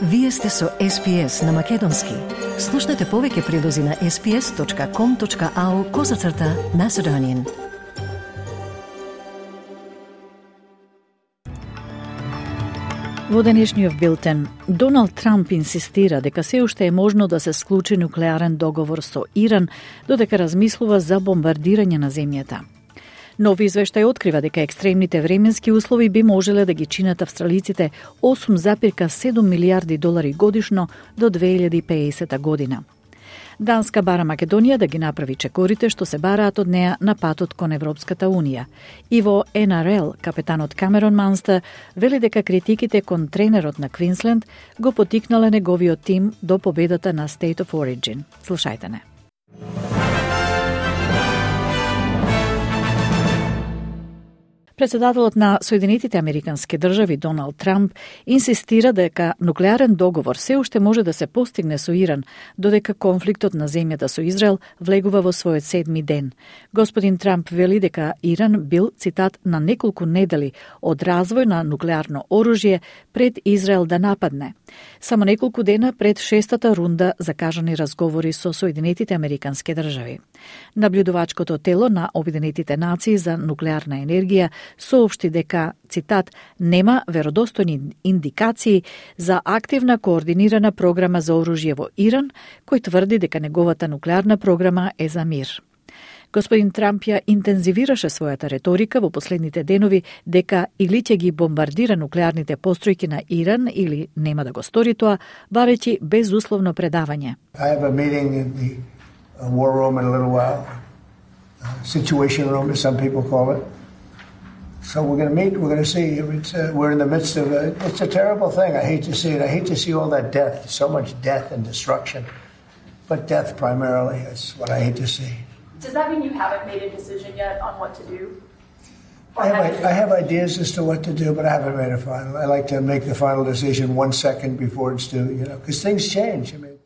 Вие сте со SPS на Македонски. Слушнете повеќе прилози на sps.com.au/Macedonian. Во денешниот билтен, Доналд Трамп инсистира дека се уште е можно да се склучи нуклеарен договор со Иран, додека размислува за бомбардирање на земјата. Нов извештај открива дека екстремните временски услови би можеле да ги чинат австралиците 8,7 милиарди долари годишно до 2050 година. Данска бара Македонија да ги направи чекорите што се бараат од неа на патот кон Европската Унија. И во НРЛ, капетанот Камерон Манстер вели дека критиките кон тренерот на Квинсленд го потикнале неговиот тим до победата на State of Origin. Слушајте не. Председателот на Соединетите Американски држави Доналд Трамп инсистира дека нуклеарен договор се уште може да се постигне со Иран, додека конфликтот на земјата со Израел влегува во својот 7-ми ден. Господин Трамп вели дека Иран бил, цитат, на неколку недели од развој на нуклеарно оружје пред Израел да нападне. Само неколку дена пред 6-та рунда закажани разговори со Соединетите Американски држави. Наблюдувачкото тело на Обединетите нации за нуклеарна енергија соопшти дека, цитат, нема веродостојни индикации за активна координирана програма за оружје во Иран, кој тврди дека неговата нуклеарна програма е за мир. Господин Трамп ја интензивираше својата реторика во последните денови дека или ќе ги бомбардира нуклеарните постројки на Иран или нема да го стори тоа, барејќи безусловно предавање. I have a meeting in the war room in a little while. Situation room, as some people call it. So we're going to meet, we're going to see. We're in the midst of it's a terrible thing. I hate to see it. I hate to see all that death, so much death and destruction. But death primarily is what I hate to see. Does that mean you haven't made a decision yet on what to do? I have ideas as to what to do, but I haven't made a final. I like to make the final decision 1 second before it's due, because things change. I mean,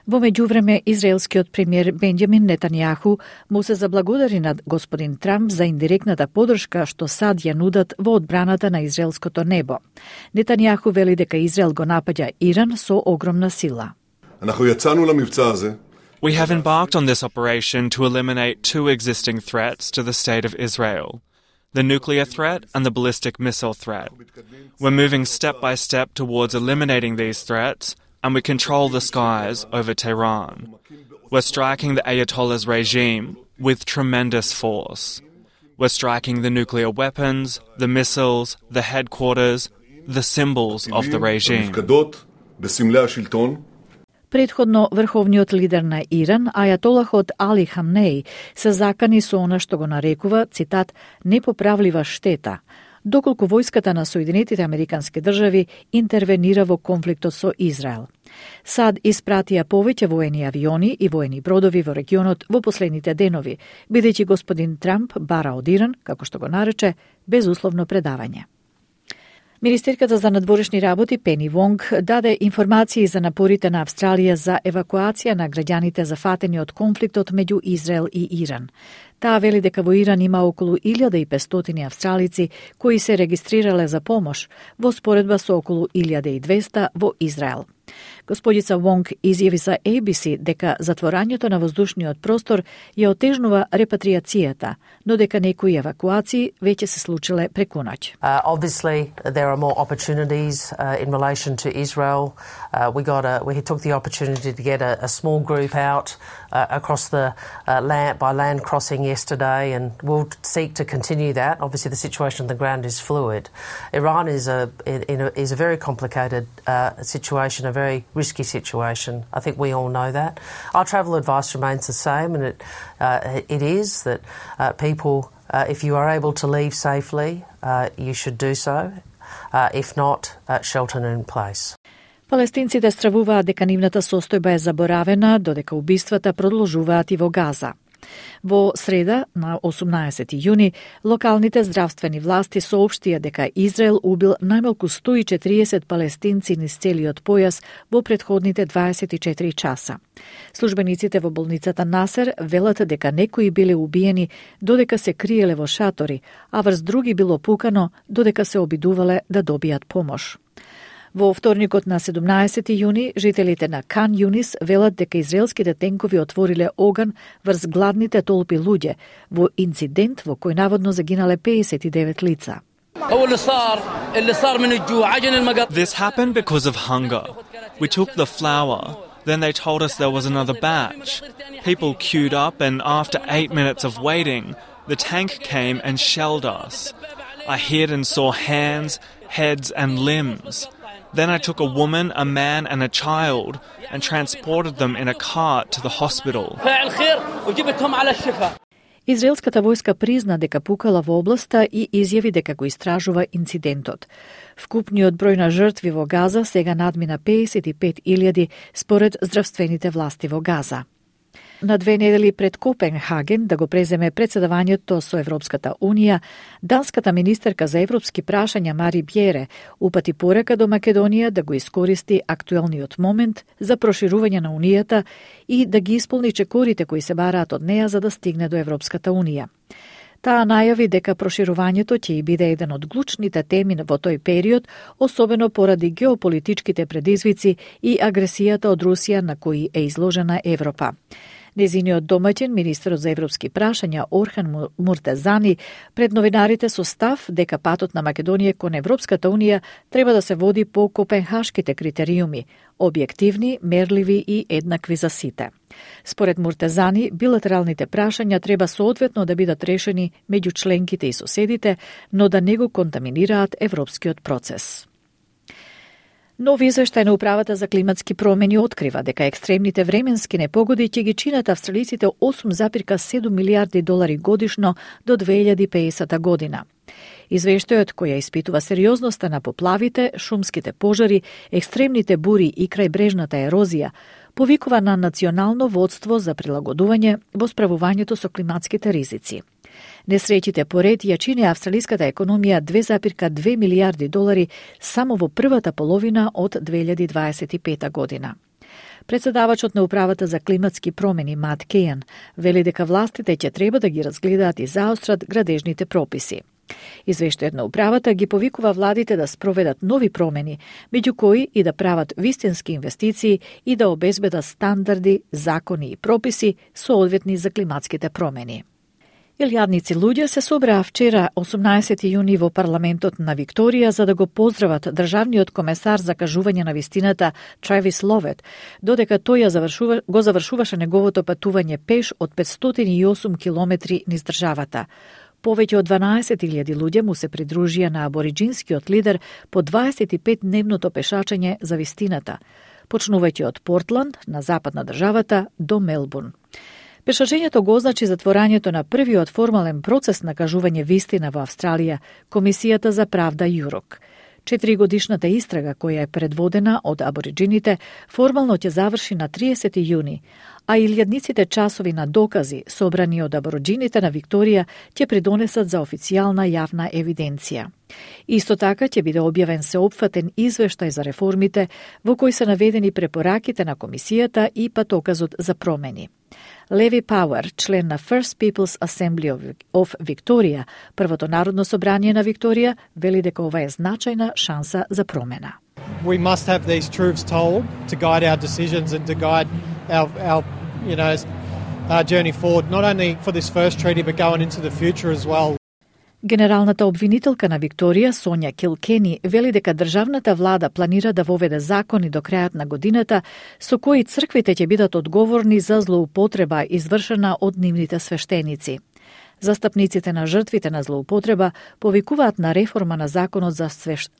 Во меѓувреме, израелскиот премиер Бенџамин Нетањаху му се заблагодари на господин Трамп за индиректната подршка што САД ја нудат во одбраната на израелското небо. Нетањаху вели дека Израел го напаѓа Иран со огромна сила. We have embarked on this operation to eliminate two existing threats to the state of Israel, the nuclear threat and the ballistic missile threat. We're moving step by step towards eliminating these threats, and we control the skies over Tehran. We're striking the Ayatollah's regime with tremendous force. We're striking the nuclear weapons, the missiles, the headquarters, the symbols of the regime. Предходно, врховниот лидер на Иран, ајатолахот Али Хамнеи, се закани со она што го нарекува, цитат, непоправлива штета, доколку војската на Соединетите Американски држави интервенира во конфликтот со Израел. САД испратија повеќе воени авиони и воени бродови во регионот во последните денови, бидејќи господин Трамп бара од Иран, како што го нарече, безусловно предавање. Министерката за надворешни работи Пени Вонг даде информации за напорите на Австралија за евакуација на граѓаните зафатени од конфликтот меѓу Израел и Иран. Таа вели дека во Иран има околу 1500 австралици кои се регистрирале за помош, во споредба со околу 1200 во Израел. Господица Вонг изјави за ABC дека затворањето на воздушниот простор ја отежнува репатриацијата, но дека некои евакуации веќе се случиле преку ноќ. Obviously, there are more opportunities in relation to Israel. We took the opportunity to get a small group out across the land crossing yesterday, and we'll seek to continue that. Obviously, the situation on the ground is fluid. Iran is a very complicated situation, a very risky situation. I think we all know that. Our travel advice remains the same, and it is that people, if you are able to leave safely, you should do so. If not, shelter in place. Палестинците стравуваат дека нивната состојба е заборавена, додека убиствата продолжуваат и во Газа. Во среда, на 18 јуни, локалните здравствени власти соопштија дека Израел убил најмалку 140 палестинци низ целиот појас во претходните 24 часа. Службениците во болницата Насер велат дека некои биле убиени додека се криеле во шатори, а врз други било пукано додека се обидувале да добијат помош. Во вторникот на 17 јуни, жителите на Кан Юнис велат дека израелските тенкови отвориле оган врз гладните толпи луѓе во инцидент во кој наводно загинале 59 лица. This happened because of hunger. We took the flour. Then they told us there was another batch. People queued up, and after 8 minutes of waiting, the tank came and shelled us. I hid and saw hands, heads, and limbs. Then I took a woman, a man, and a child and transported them in a cart to the hospital. Израелската војска призна дека пукала во областа и изјави дека го истражува инцидентот. Вкупниот број на жртви во Газа сега надмина 55.000 според здравствените власти во Газа. На 2 недели пред Копенхаген да го преземе председавањето со Европската Унија, данската министерка за европски прашања Мари Бјере упати порека до Македонија да го искористи актуелниот момент за проширување на Унијата и да ги исполни чекорите кои се бараат од неа за да стигне до Европската Унија. Таа најави дека проширувањето ќе и биде еден од клучните теми во тој период, особено поради геополитичките предизвици и агресијата од Русија на кои е изложена Европа. Незиниот домаќин, министерот за европски прашања Орхан Муртазани, пред новинарите со став дека патот на Македонија кон Европската Унија треба да се води по копенхашките критериуми, објективни, мерливи и еднакви за сите. Според Муртазани, билатералните прашања треба соодветно да бидат решени меѓу членките и соседите, но да не го контаминираат европскиот процес. Нови извештај на Управата за климатски промени открива дека екстремните временски непогоди ќе ги чинат австралиците 8,7 милиарди долари годишно до 2050 година. Извештајот, кој ја испитува сериозноста на поплавите, шумските пожари, екстремните бури и крајбрежната ерозија, повикува на национално водство за прилагодување во справувањето со климатските ризици. Несреќите поред ја чини австралиската економија 2,2 милиарди долари само во првата половина од 2025 година. Председавачот на Управата за климатски промени Мат Кејан вели дека властите ќе треба да ги разгледаат и заострат градежните прописи. Извештајот на управата ги повикува владите да спроведат нови промени, меѓу кои и да прават вистински инвестиции и да обезбедат стандарди, закони и прописи соодветни за климатските промени. Илјадници луѓе се собраа вчера, 18 јуни, во парламентот на Викторија за да го поздрават државниот комесар за кажување на вистината Травис Ловет, додека тој го завршуваше неговото патување пеш од 508 километри низ државата. Повеќе од 12.000 луѓе му се придружија на абориджинскиот лидер по 25-дневното пешачење за вистината, почнувајќи од Портланд на запад на државата до Мелбурн. Пешачењето го означи затворањето на првиот формален процес на кажување вистина во Австралија, Комисијата за правда ЮРОК. 4-годишната истрага, која е предводена од абориджините, формално ќе заврши на 30 јуни, а илјадниците часови на докази, собрани од абориджините на Викторија, ќе придонесат за официјална јавна евиденција. Исто така ќе биде објавен сеопфатен извештај за реформите, во кој се наведени препораките на Комисијата и патоказот за промени. Леви Пауер, член на First People's Assembly of Victoria, првото народно собрание на Викторија, вели дека ова е значајна шанса за промена. We must have these truths told to guide our decisions and to guide our journey forward, not only for this first treaty but going into the future as well. Генералната обвинителка на Викторија, Сонја Килкени, вели дека државната влада планира да воведе закони до крајот на годината со кои црквите ќе бидат одговорни за злоупотреба извршена од нивните свештеници. Застапниците на жртвите на злоупотреба повикуваат на реформа на законот за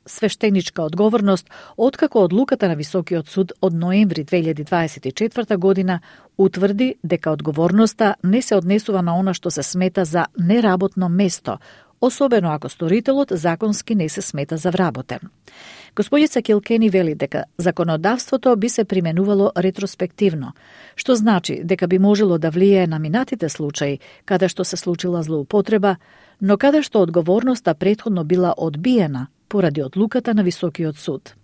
свештеничка одговорност, откако одлуката на Високиот суд од ноември 2024 година утврди дека одговорноста не се однесува на она што се смета за неработно место, особено ако сторителот законски не се смета за вработен. Господица Килкени вели дека законодавството би се применувало ретроспективно, што значи дека би можело да влијае на минатите случаи каде што се случила злоупотреба, но каде што одговорноста претходно била одбиена поради одлуката на Високиот суд.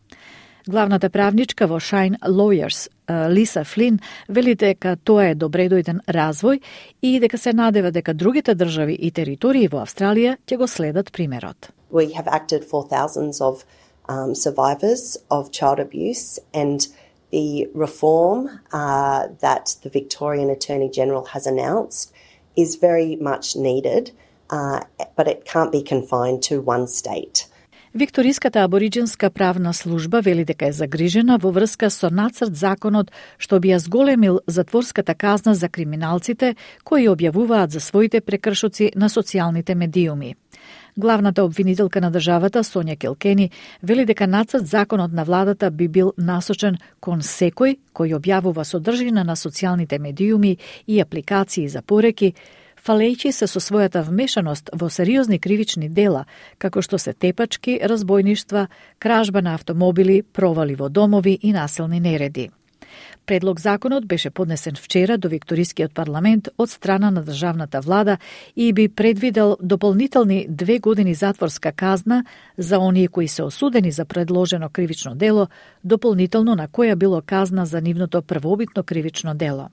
Главната правничка во Shine Lawyers, Лиса Флин, вели дека тоа е добредојден развој и дека се надева дека другите држави и територии во Австралија ќе го следат примерот. We have acted for thousands of survivors of child abuse, and the reform that the Victorian Attorney-General has announced is very much needed, but it can't be confined to one state. Викториската абориџинска правна служба вели дека е загрижена во врска со нацрт законот што би ја зголемил затворската казна за криминалците кои објавуваат за своите прекршоци на социјалните медиуми. Главната обвинителка на државата, Сонја Келкени, вели дека нацрт законот на владата би бил насочен кон секој кој објавува содржина на социјалните медиуми и апликации за пореки, фалејќи се со својата вмешаност во сериозни кривични дела, како што се тепачки, разбојништва, кражба на автомобили, провали во домови и насилни нереди. Предлог законот беше поднесен вчера до Викторискиот парламент од страна на државната влада и би предвидел дополнителни 2 години затворска казна за оние кои се осудени за предложено кривично дело, дополнително на која било казна за нивното првобитно кривично дело.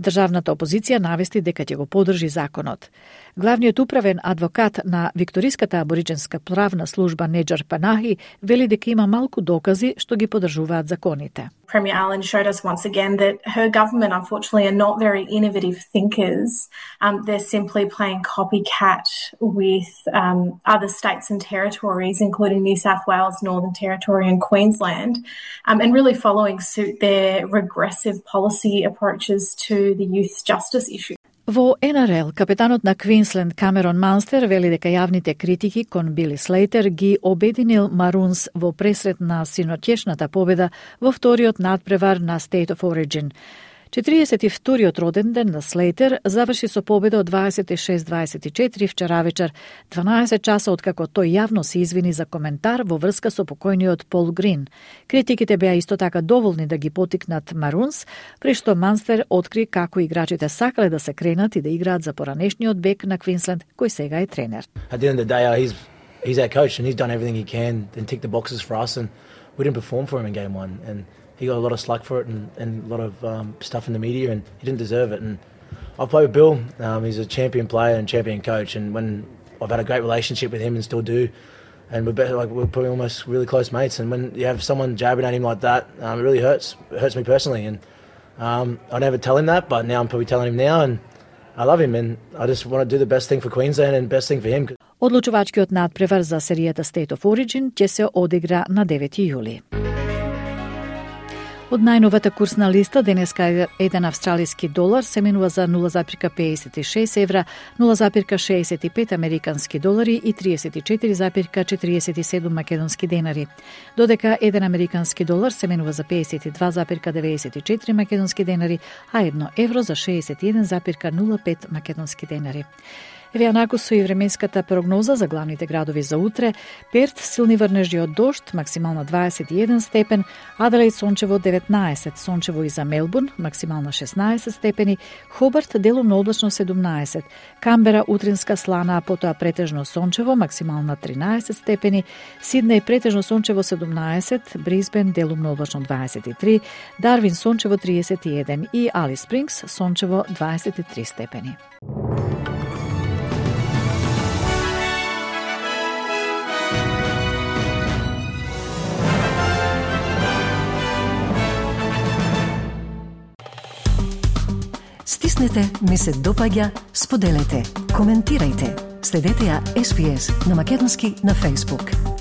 Државната опозиција навести дека ќе го поддржи законот. Главниот управен адвокат на Викториската абориџинска правна служба Неџар Панахи вели дека има малку докази што ги поддржуваат законите. Premier Allen showed us once again that her government, unfortunately, are not very innovative thinkers. They're simply playing copycat with other states and territories, including New South Wales, Northern Territory and Queensland, and really following suit their regressive policy approaches to the youth justice issue. Во НРЛ, капетанот на Квинсленд Камерон Манстер вели дека јавните критики кон Били Слейтер ги обединил Марунс во пресрет на синоќешната победа во вториот надпревар на State of Origin. 42-тиот роден ден на Слейтер заврши со победа од 26-24 вчера вечер, 12 часа откако тој јавно се извини за коментар во врска со покојниот Пол Грин. Критиките беа исто така доволни да ги потикнат Марунс, при што Манстер откри како играчите сакале да се кренат и да играат за поранешниот бек на Квинсленд, кој сега е тренер. At the end of the day, he's our coach and he's done everything he can and tick the boxes for us, and we didn't perform for him in game 1, and he got a lot of slack for it and a lot of stuff in the media, and he didn't deserve it. And I've played with Bill. He's a champion player and champion coach, and when I've had a great relationship with him and still do, and we're probably almost really close mates. And when you have someone jabbing at him like that, it really hurts. It hurts me personally, and I never tell him that, but now I'm probably telling him now, and I love him, and I just want to do the best thing for Queensland and best thing for him. Одлучувачкиот надпревар за серијата State of Origin ќе се одигра на 9 јули. Од најновата курсна листа, денеска еден австралиски долар се менува за 0,56 евра, 0,65 американски долари и 34,47 македонски денари. Додека еден американски долар се менува за 52,94 македонски денари, а 1 евро за 61,05 македонски денари. Еве анаку со и временската прогноза за главните градови за утре. Перт силни врнежи од дожд, максимална 21 степен, Аделаид сончево 19, сончево и за Мелбурн, максимална 16 степени, Хобарт делумно облачно 17, Камбера утринска слана, а потоа претежно сончево, максимална 13 степени, Сиднеј претежно сончево 17, Брисбен делумно облачно 23, Дарвин сончево 31 и Алис Спрингс сончево 23 степени. Стиснете, ми се допаѓа, споделете, коментирајте. Следете ја SPS на македонски на Facebook.